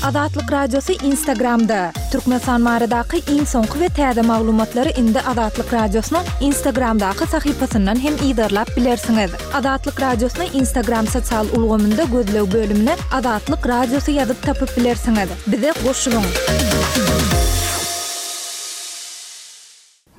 Azatlyk Radiosy Instagramda! Türkmenistan baradaky iň soňky we täze maglumatlary indi Azatlyk Radiosynyň Instagramdaky sahypasyndan hem yzarlap bilersiňiz. Azatlyk Radiosyny Instagram sosial ulgamynda gözleg bölümine Azatlyk Radiosy ýazyp tapyp bilersiňiz. Bize goşulyň!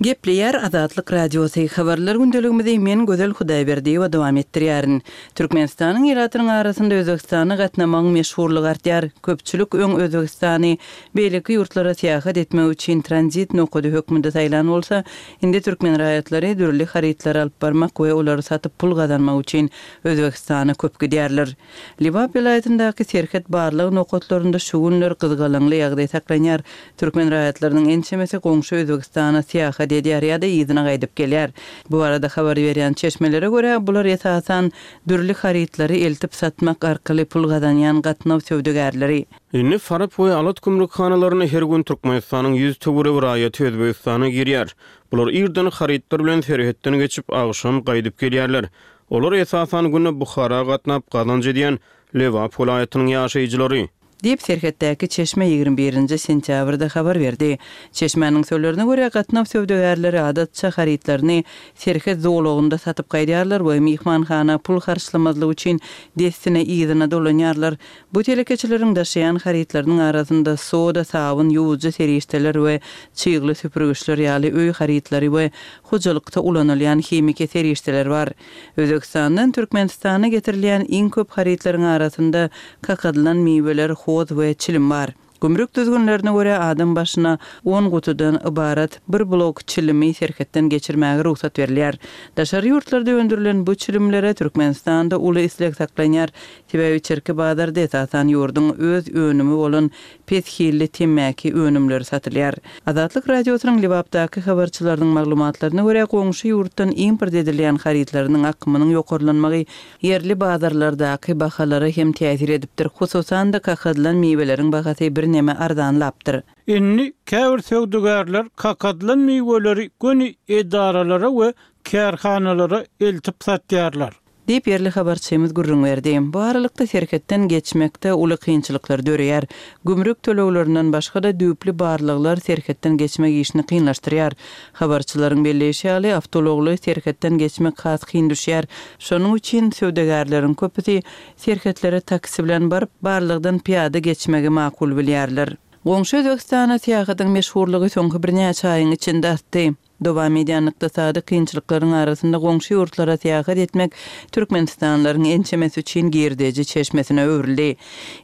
Gepleýär Azatlyk Radiosy, Habarlar gündeligimizi men Gözel Hudaýberdiýewa dowam etdirýärin. Türkmenistanyň ilatynyň arasynda Özbegistana gatnamagyň meşhurlygy artýar. Köpçülik öň Özbegistany beýleki ýurtlara syýahat etmek üçin tranzit nokady hökmünde saýlan bolsa, indi türkmen raýatlary dürli harytlary alyp barmak we olary satyp pul gazanmak üçin Özbegistana köp gidýärler. Lebap welaýatyndaky serhet barlag nokatlarynda şu günler gyzgalaňly ýagdaý saklanýar. Türkmen raýatlarynyň ençemesi goňşy Özbegistana syýahat edýär ýa-da yzyna gaýdyp gelýär. Bu barada habar berýän çeşmelere görä, bular esasan dürli harytlary eltip satmak arkaly pul gazanýan gatnaw söwdagärleri. Indi Farap we Alat gümrükhanalaryna her gün Türkmenistanyň 100 töweregi raýaty Özbegistana girýär. Bular irden harytlar bilen serhetden geçip, agşam gaýdyp gelýärler. Olar esasan günde Buhara gatnap gazanç edýän Lebap welaýatynyň ýaşaýjylary. Diýip, serhetdäki çeşme 21 nji sentýabrda habar berdi. Çeşmäniň sözlerine görä, gatnaw söwdagärleri adatça harytlaryny serhet zolagynda satyp gaýdýarlar we myhmanhana pul harçlamazlyk üçin dessine yzyna dolanýarlar. Bu telekeçileriň daşaýan harytlarynyň arasynda soda, sabyn, ýuwujy serişdeler we çygly süpürgiçler ýaly öý harytlary we hojalykda ulanylýan himiki serişdeler bar. Özbegistandan Türkmenistana getirilýän iň köp harytlaryň arasynda kakadylan miweler, hoz we çilim bar. Gümrük düzgünlerine görä, adam başyna on gutudan ybarat bir blok çilimi serhetden geçirmäge rugsat berilýär. Daşary ýurtlarda öndürilen bu çilimlere Türkmenistanda uly isleg saklanýar, sebäbi içerki bazarda esasan ýurduň öz önümi bolan pes hilli temmäki önümleri satylýar. Azatlyk Radiosynyň Lebapdaky habarçylarynyň maglumatlaryna görä, goňşy ýurtdan import edilýän harytlarynyň akymynyň ýokarlanmagy ýerli bazarlardaky bahalara hem täsir edipdir, hususan-da, kakadylan miweleriň bahasy birneme arzanlapdyr. Indi käbir söwdagärler kakadylan miweleri göni edaralara we kärhanalara eltip satýarlar. Diýip, ýerli habarçymyz gürrüň berdi. Bu aralykda serhetden geçmekde uly kynçylyklar döreýär. Gümrük töleglerinden başga-da düýpli barlaglar serhetden geçmek işini kynlaşdyrýar. Habarçylaryň belleýşi ýaly, awtoulagly serhetden geçmek has kyn düşýär. Şonuň üçin söwdagärleriň köpüsi serhetlere taksi bilen baryp, barlagdan pyýada geçmegi makul bilýärler. Goňşy Özbegistana syýahatyň meşhurlygy soňky birnäçe aýyň içinde artdy. Dowam edýän ykdysady kynçylyklaryň arasynda goňşy ýurtlara syýahat etmek türkmenistanlylaryň ençemesi üçin girdeji çeşmesine öwrüldi.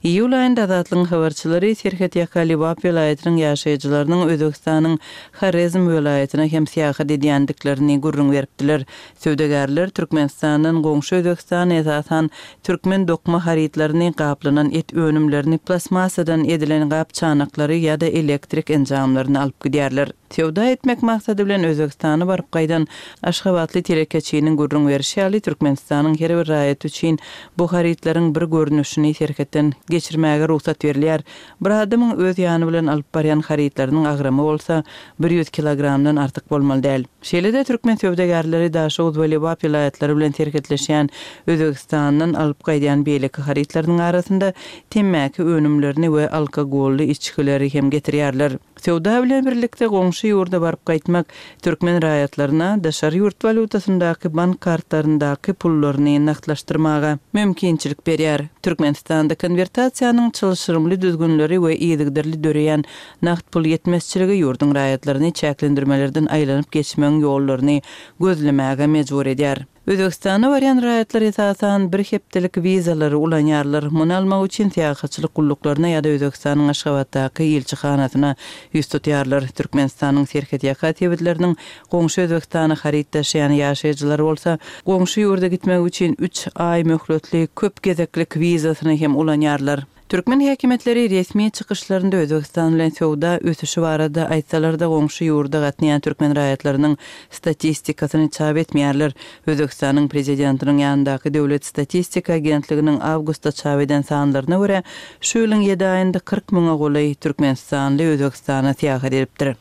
Iýul aýynda Azatlygyň habarçylary serhetýaka Lebap welaýatynyň ýaşaýjylarynyň Özbegistanyň Horezm welaýatyna hem syýahat edýändiklerini gürrüň beripdiler. Söwdagärler Türkmenistandan goňşy Özbegistana esasan türkmen dokma harytlaryny, gaplanan et önümlerini, plastmassadan edilen gap-çanaklary ýa-da elektrik enjamlaryny alyp gidýärler. Söwda etmek maksady bilen Özbegistana baryp gaýdan aşgabatly telekeçiniň gürrüň berşi ýaly, Türkmenistanyň her bir raýaty üçin bu harytlaryň bir görnüşini serhetden geçirmäge rugsat berilýär. Bir adamyň öz ýany bilen alyp barýan harytlarynyň agramy bolsa 100 kilogramdan artyk bolmaly däl. Şeýle-de türkmen söwdagärleri Daşoguz we Lebap welaýatlary bilen serhetleşýän Özbegistandan alyp gaýdýan beýleki harytlarynyň arasynda temmäki önümlerini we alkogolly içgileri hem getirýärler. Söwda bilen birlikde goňşy ýurda baryp gaýtmak türkmen raýatlaryna daşary ýurt walýutasyndaky bank kartlaryndaky pullaryny nagtlaşdyrmaga mümkinçilik berýär. Türkmenistanda konwertasiýanyň çylşyrymly düzgünleri we yzygiderli döreýän nagt pul ýetmezçiligi ýurduň raýatlaryny çäklendirmelerden aýlanyp geçmegiň ýollaryny gözlemäge mejbur edýär. Özbegistana barýan raýatlar esasan bir hepdelik wizalary ulanýarlar. Muny almak üçin syýahatçylyk gulluklaryna ýa-da Özbegistanyň Aşgabatdaky ilçihanasyna ýüz tutýarlar. Türkmenistanyň serhetýaka sebitleriniň goňşy Özbegistana haryt daşaýan ýaşaýjylary bolsa, goňşy ýurda gitmek üçin üç aý möhletli köp gezeklik wizasyny hem ulanýarlar. Türkmen häkimiýetleri resmi çykyşlarynda Özbegistan bilen söwda ösüşi barada aýtsalar-da, goňşy ýurda gatnaýan türkmen raýatlarynyň statistikasyny çap etmeýärler. Özbegistanyň prezidentiniň ýanyndaky Döwlet statistika agentliginiň awgustda çap eden sanlaryna görä, şu ýylyň ýedi aýynda 40 müňe golaý türkmenistanly Özbegistana syýahat edipdir.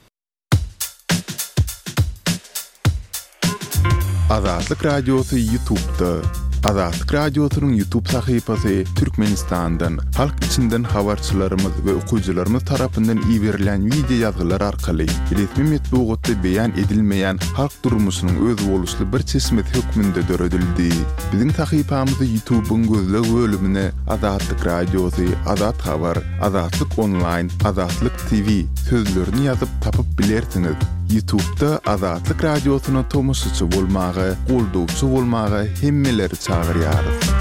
Azatlyk Radiosy Ýutubda. Azatlyk Radiosynyň YouTube sahypasy Türkmenistandan, halk içinden habarçylarymyz we okyjylarymyz tarapyndan iberilýän wideo ýazgylar arkaly resmi metbugatda beýan edilmeýän halk durmuşynyň özboluşly bir çeşmesi hökmünde döredildi. Biziň sahypamyzy YouTube-yň gözleg bölümine Azatlyk Radiosy, Azat Habar, Azatlyk Onlaýn, Azatlyk TV sözlerini ýazyp tapyp bilersiňiz. Ýutubda Azatlyk Radiosyna tomaşaçy bolmaga, goldawçy bolmaga hemmeleri çagyrýarys.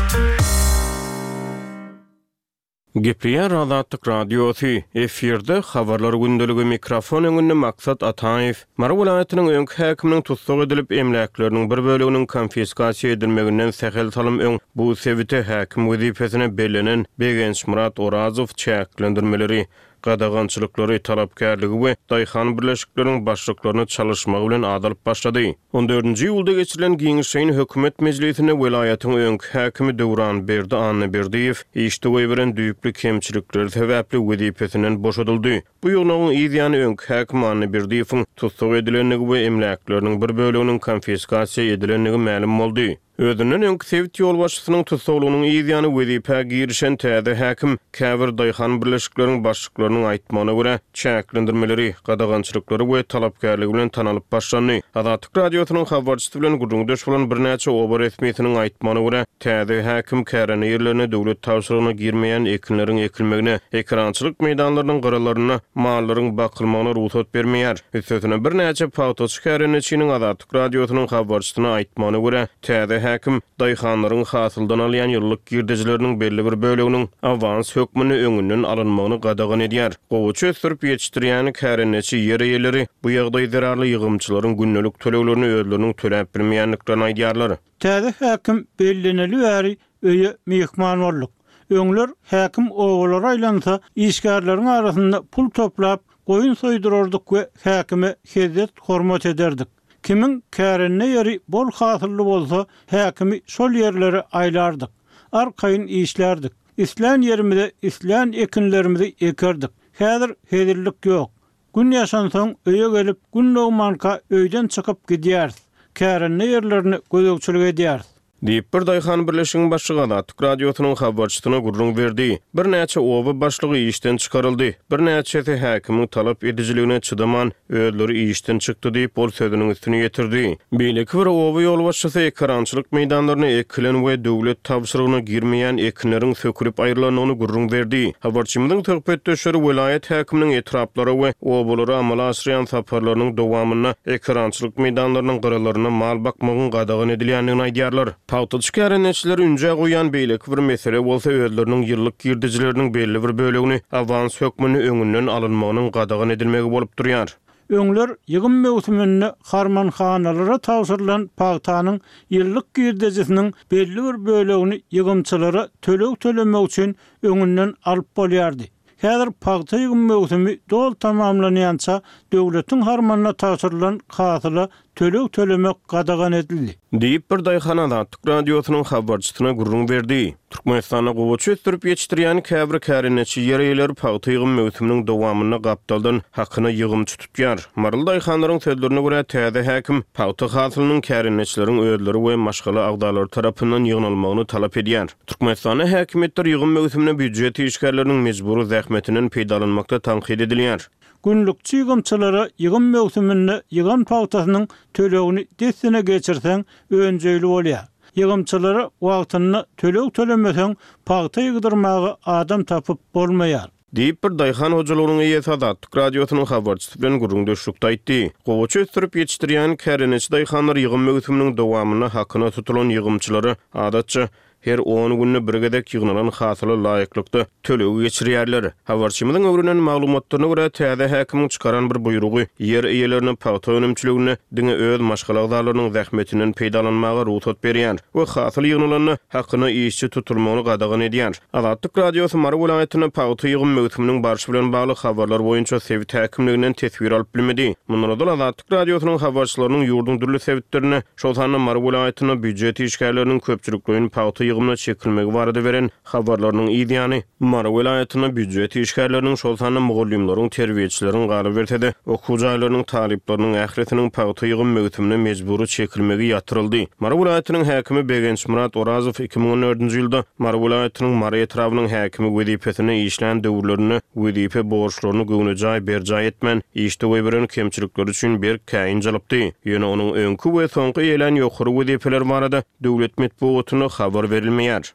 Gepleýär Azatlyk Radiosy, efirde Habarlar gündeligi, mikrofon öňünde Maksat Ataýew. Mary welaýatynyň öňki häkiminiň tussag edilip, emläkleriniň bir böleginiň konfiskasiýa edilmeginden sähel salym öň bu sebite häkim wezipesine bellenen Begençmyrat Orazow çäklendirmeleri, gadagançylyklary, talapkärligi we daýhan birleşikleriniň başlyklaryny çalyşmagy bilen at alyp başlady. On dördünji iýulda geçirilen giňişleýin hökümet mejlisinde welaýatyň öňki häkimi Döwranberdi Annaberdiýew işde goýberen düýpli kemçilikleri sebäpli wezipesinden boşadyldy. Bu ýygnagyň yz ýany öňki häkim Annaberdiýewiň tussag edilendigi we emläkleriniň bir böleginiň konfiskasiýa edilendigi mälim boldy. Özünden öňki sebit ýolbaşçysynyň tussaglygynyň yz ýany wezipä girişen täze häkim käbir daýhan birleşikleriň başlyklarynyň aýtmagyna görä, çäklendirmeleri, gadagançylyklary we talapkärligi bilen tanalyp başlandy. Azatlyk Radiosynyň habarçysy bilen gürrüňdeş bolan birnäçe oba resmisiniň aýtmagyna görä, täze häkim kärende ýerlerine döwlet tabşyrygyna girmeýän ekinleriň ekilmegine, ekerançylyk meýdanlarynyň gyralarynda mallaryň bakylmagyna rugsat bermeýär. Üstesine, birnäçe pagtaçy kärendeçiniň Azatlyk Radiosynyň habarçysyna aýtmagyna görä, täze häkim daýhanlaryň hasyldan alýan ýyllyk girdejileriniň belli bir böleginiň awans hökmünde öňünden alynmagyny gadagan edýär. Gowaça ösdürip ýetişdirýän kärendeçi ýer eýeleri bu ýagdaý zerarly ýygymçylaryň gündelik töleglerini özleriniň töläp bilmeýändiklerini aýdýarlar. Täze häkim belleneli bäri öýe myhman bolduk. Öňler häkim obalara aýlansa, işgärleriň arasynda pul toplap, goýun soýdurardyk we häkime hezzet-hormat ederdik. Kimiň kärende ýeri bol hasylly bolsa, häkimi şol ýerlere aýlardyk. Arkaýyn işlärdik. Islän ýerimize islän ekinlerimizi ekerdik. Häzir hezillik ýok. Gün ýaşansoň öýe gelip, gün dogmanka öýden çykyp gidýäris. Kärende ýerlerine gözegçilik edýäris. Diýip, bir daýhan birleşigiň başlygy Azatlyk Radiosynyň habarçysyna gürrüň berdi. Birnäçe oba başlygy işden çykaryldy. Birnäçesi häkimiň talap edijiligine çydaman, özleri işden çykdy diýip, ol sözüniň üstüni ýetirdi. Beýleki bir oba ýolbaşçysy ekerançylyk meýdanlaryna ekilen we döwlet tabşyrygyna girmeýän ekinleriň sökülip aýrylandygyny gürrüň berdi. Habarçymyzyň söhbetdeşleri welaýat häkiminiň etraplara we obalara amala aşyrýan saparlarynyň dowamynda ekerançylyk meýdanlarynyň gyralarynda mal bakmagyň gadagan edilýändigini aýdýarlar. Pagtaçy kärendeçileri ünjä goýýan beýleki bir mesele bolsa özleriniň ýyllyk girdejileriniň belli bir bölegini awans hökmünde öňünden alynmagynyň gadagan edilmegi bolup durýar. Öňler ýygym möwsüminde harmanhanalara tabşyrylan pagtanyň ýyllyk girdejisiniň belli bir bölegini ýygymçylara töleg tölemek üçin öňünden alyp bolýardy. Häzir pagta ýygym möwsümi doly tamamlanýança döwletiň harmanyna tabşyrylan hasyla töleg tölemek gadagan edildi. Diýip, bir daýhan Azatlyk Radiosynyň habarçysyna gürrüň berdi. Türkmenistanda gowaça ösdürip ýetişdirýän käbir kärendeçi ýer eýeleri pagta ýygym möwsüminiň dowamynda gapdaldan hakyna ýygymçy tutýar. Maryly daýhanlaryň sözlerine görä, täze häkim pagta hasylynyň kärendeçileriň özleri we maşgala agzalary tarapyndan ýygnalmagyny talap edýär. Türkmenistanda häkimiýetler ýygym möwsüminde býujet işgärleriniň mejbury zähmetinden peýdalanmakda tankyt edilýär. Günlükçi ýygymçylara ýygym möwsüminde ýygan pagtasynyň tölegini dessine geçirseň önjeýli bolýar. Ýygymçylara wagtynda töleg tölemeseň pagta ýygdyrmaga adam tapyp bolmaýar. Diýip, bir daýhan hojalygynyň eýesi Azatlyk Radiosynyň habarçysy bilen gürrüňdeşlikde aýtdy. Gowaça ösdürip ýetişdirýän kärendeçi daýhanlar ýygym möwsüminiň dowamynda hakyna tutulan ýygymçylara, adatça, her on günde bir gezek ýygnalan hasyla laýyklykda tölegi geçirýärler. Habarçymyzyň öwrenen maglumatlaryna görä, täze häkimiň çykaran bir buýrugy ýer eýelerine pagta önümçiliginde diňe öz maşgala agzalarynyň zähmetinden peýdalanmaga rugsat berýär we hasyl ýygnalanda hakyna işçi tutulmagyny gadagan edýär. Azatlyk Radiosy Mary welaýatynda pagta ýygym möwsüminiň barşy bilen bagly habarlar boýunça sebit häkimliginden teswir alyp bilmedi. Mundan ozal Azatlyk Radiosynyň habarçylarynyň ýurduň dürli sebitlerinde, şol sanda Mary welaýatynda býujet işgärleriniň köpçülikleýin pagta. ýygymyna çekilmegi barada beren habarlarynyň yz ýany, Mary welaýatynda býujet işgärleriniň, şol sanda mugallymlaryň, terbiýeçileriň, galyberse-de, okuw jaýlarynyň talyplarynyň ählisiniň pagta ýygym möwsümine mejbury çekilmegi ýatyryldy. Mary welaýatynyň häkimi Begençmyrat Orazow 2014-nji ýylda Mary welaýatynyň Mary etrabynyň häkimi wezipesinde işlän döwürlerinde wezipe borçlaryny göwnejaý berjaý etmän, işde goýberen kemçilikleri üçin berk käýinç alypdy. Ýöne onuň öňki we soňky eýelän ýokary wezipeleri barada döwlet metbugatynda habar berilmeýär.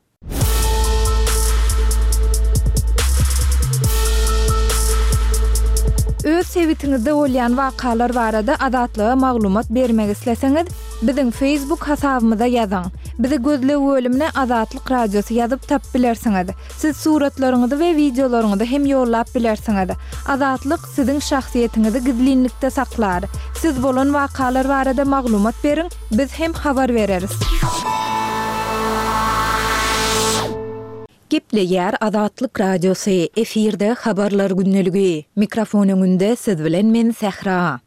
Öz sebitiňizde bolýan wakalar barada Azatlyga maglumat bermek isleseňiz, biziň Facebook hasabymyza ýazyň. Bizi gözleg bölümine Azatlyk Radiosy ýazyp tapyp bilersiňiz. Siz suratlaryňyzy we wideolaryňyzy hem ýollap bilersiňiz. Azatlyk siziň şahsyýetiňizi gizlinlikde saklar. Siz bolan wakalar barada maglumat beriň, biz hem habar bereris. Gepleýär Azatlyk Radiosy, efirde Habarlar gündeligi. Mikrofon öňünde siz bilen men Sähra.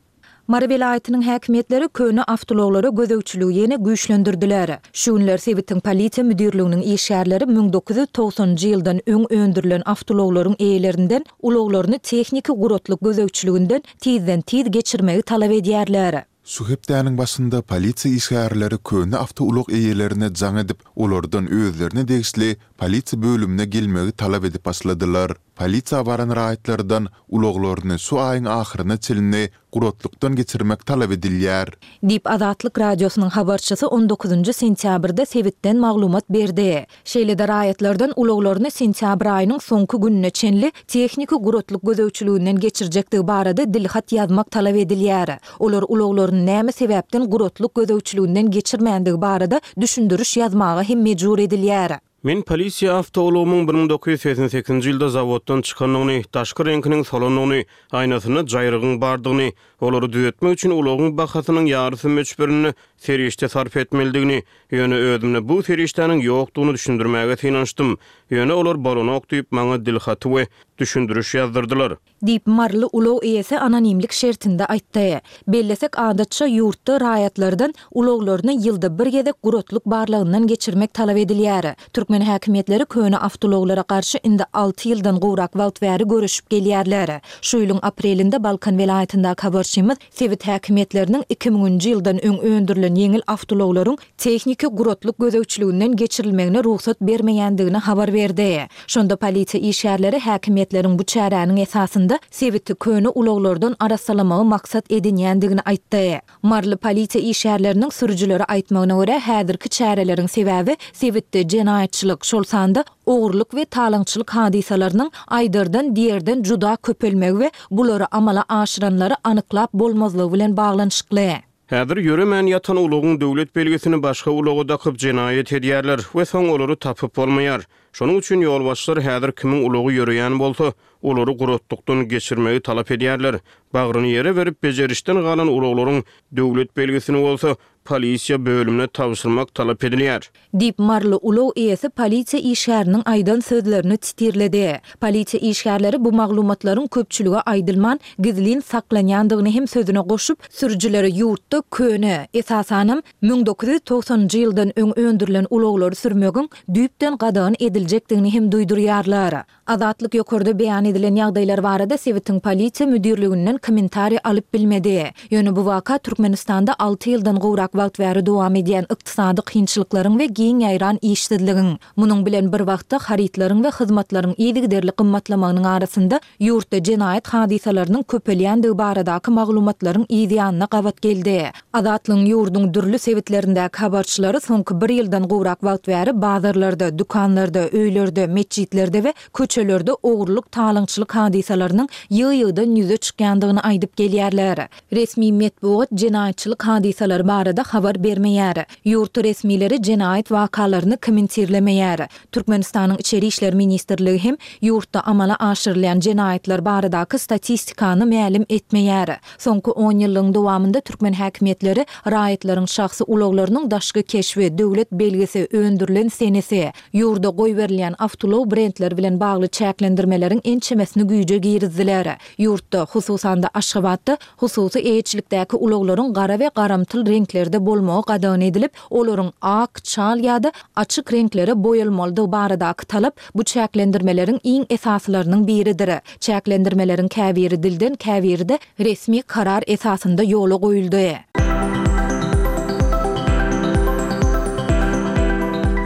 Mary welaýatynyň häkimiýetleri köne awtoulaglara gözegçiligi ýene güýçlendirdiler. Şu günler sebitiň polisiýa müdirliginiň işgärleri 1990-njy ýyldan öň öndürilen awtoulaglaryň eýelerinden ulaglaryny tehniki guratlyk gözegçiliginden tizden-tiz geçirmegi talap edýärler. Şu hepdäniň başynda polisiýa işgärleri köne awtoulag eýelerine jaň edip, olardan özlerine degişli polisiýa bölümine gelmegi talap edip başladylar. Polisiýa baran raýatlardan ulaglaryny şu aýyň ahyryna çenli guratlykdan geçirmek talap edilýär. Diýip, Azatlyk Radiosynyň habarçysy on dokuzynjy sentýabrda sebitden maglumat berdi. Şeýle-de raýatlardan ulaglaryny sentýabr aýynyň soňky gününe çenli tehniki guratlyk gözegçiliginden geçirjekdigi barada dilhat ýazmak talap edilýär. Olar ulaglaryny näme sebäpden guratlyk gözegçiliginden geçirmändigi barada düşündiriş ýazmaga hem mejbur edilýär. Men polisiýa awtoulagymyň 1988-nji ýylda zawoddan çykandygyny, daşky reňkiniň solandygyny, aýnasynda jaýrygyň bardygyny, olary düzetmek üçin ulagyň bahasynyň ýarysy möçberinde serişde sarp etmelidigini, ýöne özümde bu serişdäniň ýokdugyny düşündirmäge synanyşdym. Ýöne olar bolanok diýip, maňa dilhaty we düşündiriş ýazdyrdylar. Diýip, maryly ulag eýesi anonimlik şertinde aýtdy. Bellesek, adatça, ýurtda raýatlardan ulaglaryny ýylda bir gezek guratlyk barlagyndan geçirmek talap edilýär. Türkmen häkimiýetleri köne awtoulaglara garşy indi alty ýyldan gowrak wagt bäri göreşip gelýärler. Şu ýylyň aprelinde Balkan welaýatyndaky habarçymyz sebit häkimiýetleriniň iki müňünji ýyldan öň öndürilen ýeňil awtoulaglaryň tehniki guratlyk gözegçiliginden geçirilmegine rugsat bermeýändigini habar berdi. Şonda polisiýa işgärleri häkimiýetleriň bu çäräniň esasynda sebiti köne ulaglardan arassalamagy maksat edinýändigini aýtdy. Maryly polisiýa işgärleriniň sürüjilere aýtmagyna görä, häzirki çäreleriň sebäbi sebitde jenaýatçylyk, şol sanda ogurlyk we talaňçylyk hadysalarynyň aýdardan-diýerden juda köpelmegi we bulary amala aşyranlary anyklap bolmazlygy bilen baglanyşykly. Häzir ýöremän ýatan ulagyň döwlet belgisini başga ulaga dakyp jenaýat edýärler we soň olary tapyp bolmaýar. Şonuň üçin ýolbaşçylar häzir kimiň ulagy ýöreýän bolsa, olary guratlykdan geçirmegi talap edýärler. Bagryny ýere berip bejerişden galan ulaglaryň döwlet belgisini bolsa polisiýa bölümine tabşyrmak talap edilýär. Diýip, maryly ulag eýesi polisiýa işgäriniň aýdan sözlerini titirledi. Polisiýa işgärleri bu maglumatlaryň köpçülige aýdylman, gizlin saklanýandygyny hem sözüne goşup, sürüjilere ýurtda köne, esasanam, 1990-njy ýyldan öň öndürilen ulaglary sürmegiň düýpden gadagan ediljekdigini hem duýdurýarlar. Azatlyk ýokarda beýan edilen ýagdaýlar barada sebitiň polisiýa müdirliginden kommentariý alyp bilmedi. Ýöne bu waka Türkmenistanda alty ýyldan gowrak wagt bäri dowam edýän ykdysady kynçylyklaryň we giň ýaýran işsizligiň, munuň bilen bir wagtda harytlaryň we hyzmatlaryň yzygiderli gymmatlamagynyň arasynda ýurtda jenaýat hadysalarynyň köpelýändigi baradaky maglumatlaryň yz ýanyna gabat geldi. Azatlygyň ýurduň dürli sebitlerindäki habarçylary soňky bir ýyldan gowrak wagt bäri bazarlarda, dükanlarda, öýlerde, metjitlerde we köçelerde ogurlyk-talaňçylyk hadysalarynyň ýygy-ýygydan ýüze çykýandygyny aýdyp gelýärler. Resmi metbugat jenaýatçylyk hadysalary barada habar bermeýär. Ýurt resmileri jenaýat wakalaryny kommentirlemeýär. Türkmenistanyň Içeri işler ministrligi hem ýurtda amala aşyrylýan jenaýatlar baradaky statistikany mälim etmeýär. Soňky onýyllygyň dowamynda türkmen häkimiýetleri raýatlaryň şahsy ulaglarynyň daşky keşbi, döwlet belgisi, öndürilen senesi, ýurda goýberilýän awtoulag brendleri bilen bagly çäklendirmeleriň ençemesini güýje girizdiler. Ýurtda, hususan-da Aşgabatda hususy eýeçilikdäki ulaglaryň gara we garamtyl reňklerde. reňklerde bolmagy gadagan edilip, olaryň ak, çal ýa-da açyk reňklere boýalmalydygy baradaky talap bu çäklendirmeleriň iň esasylarynyň biridir. Çäklendirmeleriň käbiri dilden, käbiri-de resmi karar esasynda ýola goýuldy.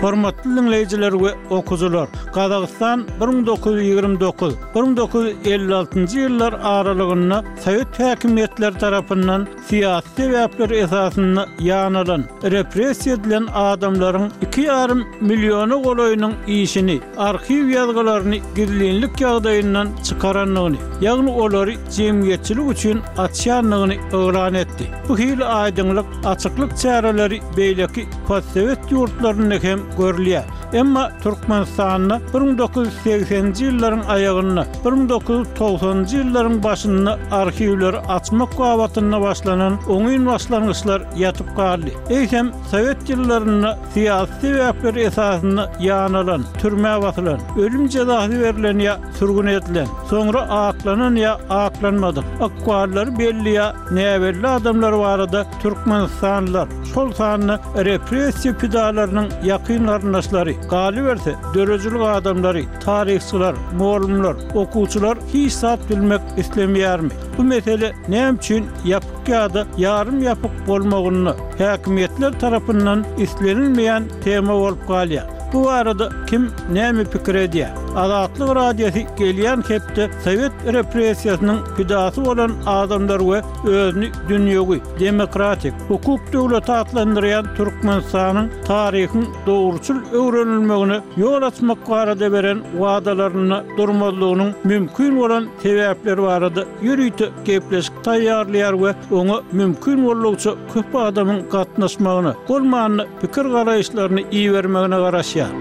Hormatly diňleýjiler we okyjylar! Gazagystan 1929, 1956 ýyllar aralygynda sowet häkimiýetleri tarapyndan syýasy sebäpler esasynda ýanalan, repressiýa edilen adamlaryň iki ýarym milliona golaýynyň işini, arhiw ýazgylaryny gizlinlik ýagdaýyndan çykarandygyny, ýagny olary jemgyýetçilik üçin açýandygyny yglan etdi. Bu hili aýdyňlyk, açyklyk çäreleri beýleki postsowet ýurtlarynda hem görülýär. Emma Türkmenistanda 1980-nji ýyllaryň aýagynda, 1990-njy ýyllaryň başynda arhiwleri açmak babatynda başlanan oňyn başlangyçlar ýatyp galdy. Eýsem, sowet ýyllarynda syýasy sebäpler esasynda ýanalan, türmä basylan, ölüm jezasy berlen ýa sürgün edilen, soňra aklanan ýa aklanmadyk, ykballary belli ýa näbelli adamlar barada türkmenistanlylar, şol sanda repressiýa pidalarynyň ýakyn garyndaşlary, galyberse, döredijilik adamlary, taryhçylar, mugallymlar, okuwçylar hiç zat bilmek islemeýärmi? Bu mesele näme üçin ýapyk ýa-da ýarym ýapyk bolmagynda häkimiýetler tarapyndan islenilmeýän tema bolup galýar. Bu barada kim näme pikir edýär? Azatlyk Radiosy gelýän hepde sowet repressiýasynyň pidasy bolan adamlar we özüni dünýewi, demokratik, hukuk döwleti atlandyrýan Türkmenistanyň taryhyň dogruçyl öwrenilmegine ýol açmak barada beren wadalarynda durmazlygynyň mümkin bolan sebäpleri barada ýörite gepleşik taýýarlaýar we oňa mümkin boldugyça köp adamyň gatnaşmagyna, bolmanda pikir-garaýyşlaryny ibermegine garaşýar.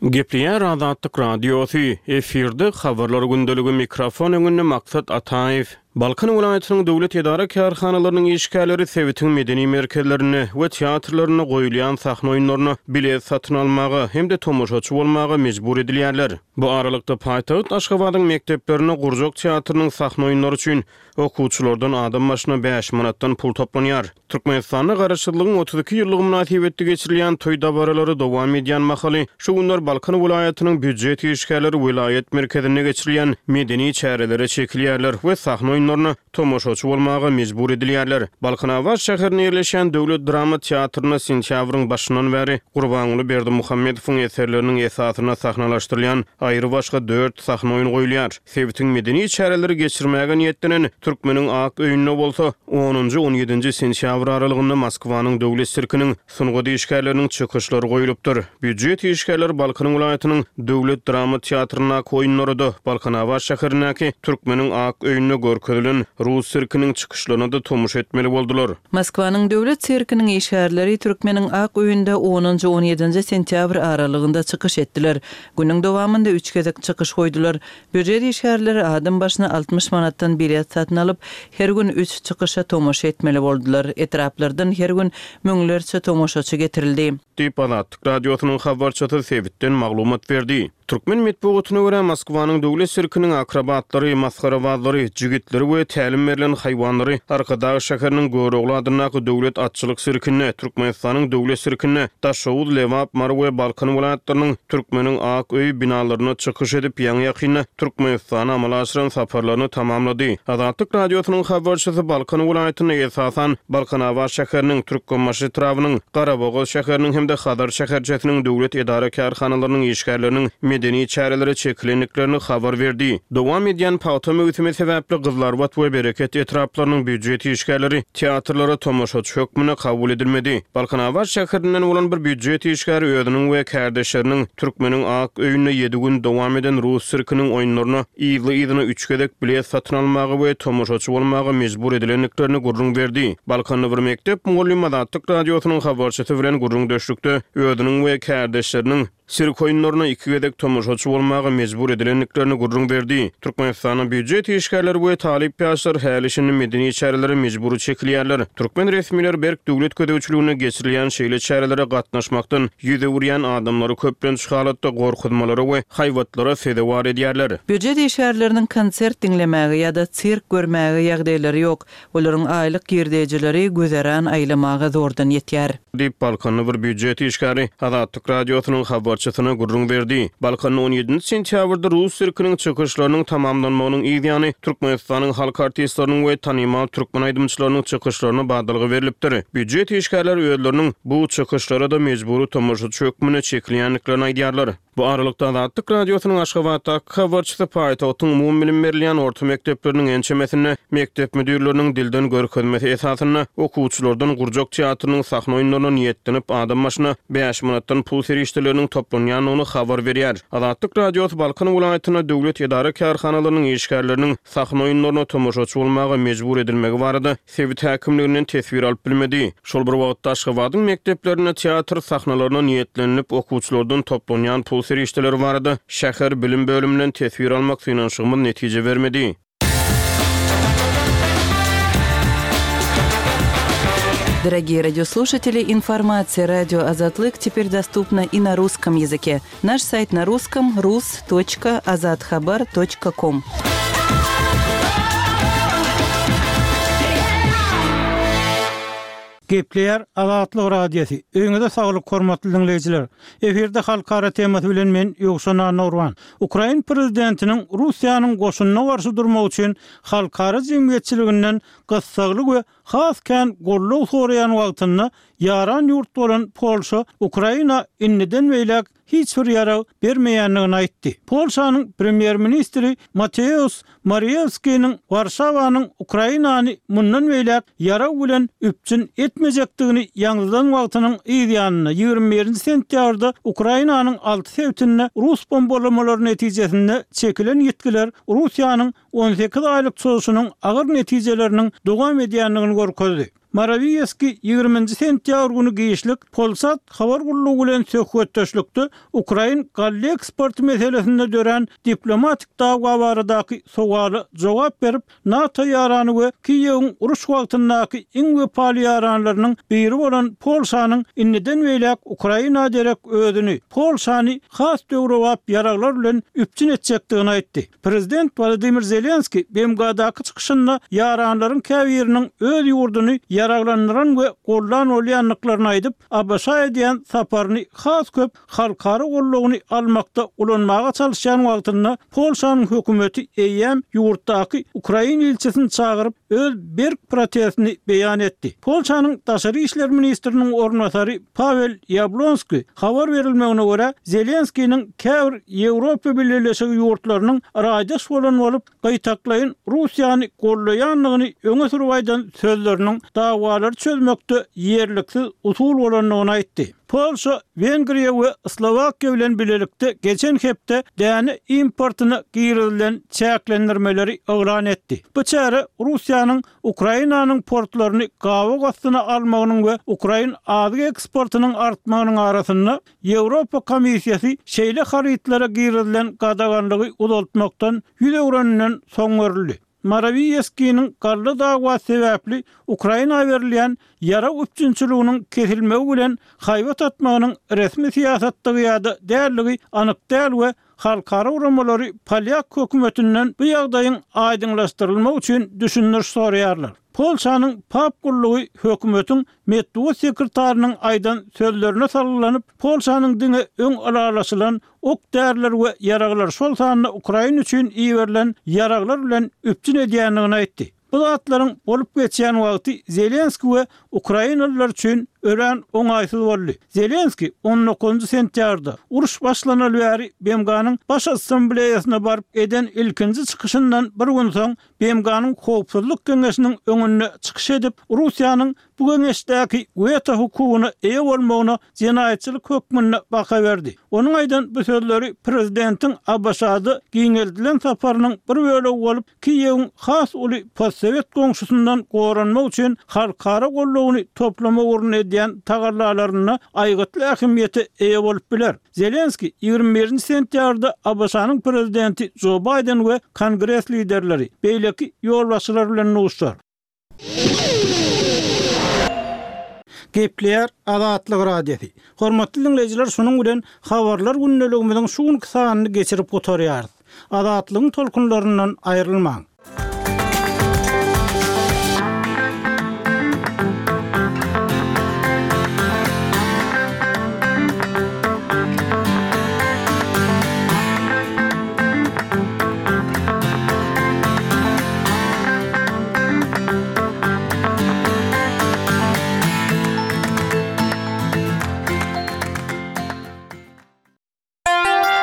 Gepleýär Azatlyk Radiosy, efirde Habarlar gündeligi mikrofon öňünde Maksat Ataýew. Balkan welaýatynyň döwlet edara-kärhanalarynyň işgärleri sebitiň medeni merkezlerinde we teatrlarynda goýulýan sahna oýunlaryna bilet satyn almaga hem-de tomaşaçy bolmaga mejbur edilýärler. Bu aralykda, paýtagt Aşgabadyň mekdeplerinde gurjak teatrynyň sahna oýunlary üçin okuwçylardan adam başyna bäş manatdan pul toplanýar. Türkmenistanda Garaşsyzlygyň 32 ýyllygy mynasybetli geçirilýän toý dabaralary dowam edýän mahaly, şu günler Balkan welaýatynyň býujet işgärleri welaýat merkezinde geçirilýän medeni çärelere çekilýärler we sahna oýunlaryna tomaşaçy bolmaga mejbur edilýärler. Balkanabat şäherinde ýerleşýän döwlet drama teatrynda sentýabryň başyndan bäri Gurbanguly Berdimuhamedowyň eserleriniň esasynda sahnalaşdyrylýan aýrybaşga dört sahna oýny goýulýar. Sebitiň medeni çäreleri geçirmäge niýetlenen Türkmeniň ak öýünde bolsa, onunjy, on ýedinji sentýabr aralygynda Moskwanyň döwlet sirkiniň sungat işgärleriniň çykyşlary goýlupdyr. Býujet işgärleri Balkan welaýatynyň döwlet drama teatryndaky oýunlara-da, Balkanabat şäherindäki Türkmeniň ak öýünde görkezilen rus sirkiniň çykyşlaryna-da tomaşa etmeli boldular. Moskwanyň döwlet sirkiniň işgärleri Türkmeniň ak öýünde onunjy, on ýedinji sentýabr aralygynda çykyş etdiler. Günüň dowamynda üç gezek çykyş goýdular. Býujet işgärleri adam başyna 60 manatdan bilet satyn alyp, her gün üç çykyşa tomaşa etmeli boldular. Etraplardan her gün müňlerçe tomaşaçy getirildi. Diýip, Azatlyk Radiosynyň habarçysy sebitden maglumat berdi. Türkmen metbugatyna görä, Moskwanyň döwlet sirkiniň akrobatlary, masgarabazlary, jigitleri we tälim berlen haýwanlary Arkadag şäheriniň Görogly adyndaky döwlet atçylyk sirkinde, Türkmenistanyň Döwlet sirkinde, Daşoguz, Lebap, Mary we Balkan welaýatlarynyň Türkmeniň ak öýi binalarynda çykyş edip, ýaňy-ýakynda Türkmenistana amala aşyran saparlaryny tamamlady. Azatlyk Radiosynyň habarçysy Balkan welaýatynda, esasan, Balkanabat şäheriniň, Türkmenbaşy etrabynyň, Garabogaz şäheriniň hem-de Hazar şäherçesiniň döwlet edara-kärhanalarynyň işgärleriniň medeni çärelere çekilendiklerini habar berdi. Dowam edýän pagta möwsümi sebäpli Gyzylarbat we Bereket etraplarynyň býujet işgärleri teatrlara tomaşaçy hökmünde kabul edilmedi. Balkanabat şäherinden bolan bir býujet işgäri özüniň we kärdeşleriniň Türkmeniň ak öýünde ýedi gün dowam eden rus sirkiniň oýunlaryna yzly-yzyna üç gezek bilet satyn almaga we tomaşaçy bolmaga mejbur edilendiklerini gürrüň berdi. Balkanda bir mekdep mugallymy Azatlyk Radiosynyň habarçysy bilen gürrüňdeşlikde özüniň we kärdeşleriniň. Sirk oýunlaryna iki gezek tomaşaçy bolmaga mejbur edilendiklerini gürrüň berdi. Türkmenistanda býujet işgärleri we talyp ýaşlar häli-şindi medeni çärelere mejbury çekilýärler. Türkmen resmileri berk döwlet gözegçiliginde geçirilýän şeýle çärelere gatnaşmakdan 100 öwürýän adamlary köplenç halatda gorkuzmalara we haýbatlara sezewar edýärler. Býujet işgärleriniň konsert diňlemäge ýa-da sirk görmäge ýagdaýlary ýok. Olaryň aýlyk girdejileri güzeran aýlamaga zordan ýetýär. Diýip, balkanly bir býujet işgäri Azatlyk Radiosynyň habarçysyna gürrüň berdi. Balkanda on ýedinji sentýabrda rus sirkiniň çykyşlarynyň tamamlanmagynyň yz ýany, Türkmenistanyň halk artistleriniň we tanymal türkmen aýdymçylarynyň çykyşlaryna badalga berlipdir. Býujet işgärleri özleriniň bu çykyşlara-da mejbury tomaşaçy hökmünde çekilýändiklerini aýdýarlar. Bu aralykda, Azatlyk Radiosynyň Aşgabatdaky habarçysy paýtagtyň umumybilim berilýän orta mekdepleriniň ençemesinde mekdep müdirleriniň dilden görkezmesi esasynda okuwçylardan gurjak teatrynyň sahna oýunlaryna niýetlenip adam başyna bäş manatdan pul serişdeleriniň toplanýandygyny habar berýär. Azatlyk Radiosy Balkan welaýatynda döwlet edara-kärhanalarynyň işgärleriniň sahna oýunlaryna tomaşaçy bolmaga mejbur edilmegi barada sebit häkimliginden teswir alyp bilmedi. Şol bir wagtda, Aşgabadyň mekdeplerinde teatr sahnalaryna niýetlenilip okuwçylardan toplanýan pul serişdeleri barada şäher bilim bölüminden teswir almak synanyşygymyz netije bermedi. Дорогие радиослушатели, информация радио Азатлык теперь доступна и на русском языке. Наш сайт на русском rus.azathabar.com. Gepleýär Azatlyk Radiosy. Öýüňize saglyk hormatly diňleýjiler. Efirde halkara temasy bilen men Ýowşan Annagurban. Ukrain prezidentiniň Russiýanyň goşunyna garşy durmak üçin halkara jemgyýetçiliginden gyssagly we has kän goldaw soraýan wagtynda ýaran ýurt bolan Polşa Ukraina indiden beýläk hiç bir ýarag bermeýändigini aýtdy. Polşanyň premýer-ministri Mateusz Morawieskiniň Warşawanyň Ukrainany mundan beýläk ýarag bilen üpjün etmejekdigini ýaňzydan wagtynyň yz ýanynda, 21 sentýabrda Ukrainanyň alty sebitinde rus bombalamalary netijesinde çekilen ýitgiler Russiýanyň 18 aýlyk çozuşynyň agyr netijeleriniň dowam edýändigini görkezdi. Morawiýeskiý ýigriminji sentýabr güni giçlik Polsat habar gullugy bilen söhbetdeşlikde ukrain galla eksporty meselesinde dörän diplomatik dawa baradaky sowala jogap berip, NATO ýarany we Kiýewiň uruş wagtyndaky iň wepaly ýaranlarynyň biri bolan Polşanyň indiden beýläk Ukraina derek özüni, Polşany has döwrebap ýaraglar bilen üpjün etjekdigini aýtdy. Prezident Wolodymyr Zelenskiý BMG-daky çykyşynda ýaranlaryň käbiriniň öz ýurduny ýaraglandyran we goldan bolýandyklaryny aýdyp, ABŞ-a edýän saparyny has köp halkara goldawyny almakda ulanmaga çalyşýan wagtynda Polşanyň hökümeti eýýäm ýurtdaky ukrain ilçisini çagyryp, öz berk protestini beýan etdi. Polşanyň daşary işler ministriniň orunbasary Pawel Ýablonskiý, habar berilmegine görä, Zelenskiniň käbir Ýewropa Bileleşigi ýurtlarynyň raýdaş bolan bolup, gytaklaýyn Russiýany goldaýandygyny öňe sürüp aýdan sözleriniň dawalary çözmekde ýerliksiz usul bolandygyny aýtdy. Polşa, Wengriýa we Slowakiýa bilen bilelikde geçen hepde däne importyna girizilen çäklendirmeleri yglan etdi. Bu çäre Russiýanyň Ukrainanyň portlaryny gabaw astyna almagynyň we ukrain azyk eksportynyň artmagynyň arasynda, Ýewropa Komissiýasy şeýle harytlara girizilen gadaganlygy uzaltmakdan 100 öwreninden soň görüldi. Morawiýeskiniň galla dawasy sebäpli Ukraina berilýän ýarag üpjünçiliginiň kesilmegi bilen haýbat atmagynyň resmi syýasatdygy ýa-da däldigi anyk däl we Halkara guramalary polýak hökümetinden bu ýagdaýyň aýdyňlaşdyrylmagy üçin düşündiriş soraýarlar. Polşanyň PAP gullugy hökümetiň metbugat sekretarynyň aýdan sözlerine salgylanyp, Polşanyň diňe öň ylalaşylan ok-däriler we ýaraglar, şol sanda Ukraina üçin iberilen ýaraglar bilen üpjün edýändigini aýtdy. Bu zatlaryň bolup geçýän wagty Zelenskiý we ukrainalylar üçin örän oňaýsyz boldy. Zelenskiý on dokuzynjy sentýabrda, uruş başlanaly bäri BMG-niň Baş Assambleýasyna baryp eden ilkinji çykyşyndan bir gün soň BMG-niň Howpsuzlyk Geňeşiniň öňünde çykyş edip, Russiýanyň bu geňeşdäki weto hukugyna eýe bolmagyna jenaýatçylyk hökmünde baha berdi. Onuň aýdan bu sözleri prezidentiň ABŞ-da giňeldilen saparynyň bir bölegi bolup, Kiýewiň has uly postsowet goňşusyndan goranmak üçin halkara goldawyny toplamak ugrunda edýän. edýän tagallalarynda aýgytly ähmiýete eýe bolup biler. Zelenskiý 21 sentýabrda ABŞ-nyň prezidenti Jo Baýden we Kongres liderleri, beýleki ýolbaşçylar bilen duşuşar. Gepleýär Azatlyk Radiosy. Hormatly diňleýjiler şunuň bilen Habarlar gündeligimiziň şu günki sanyny geçirip gutarýarys. Azatlygyň tolkunlaryndan aýrylmaň!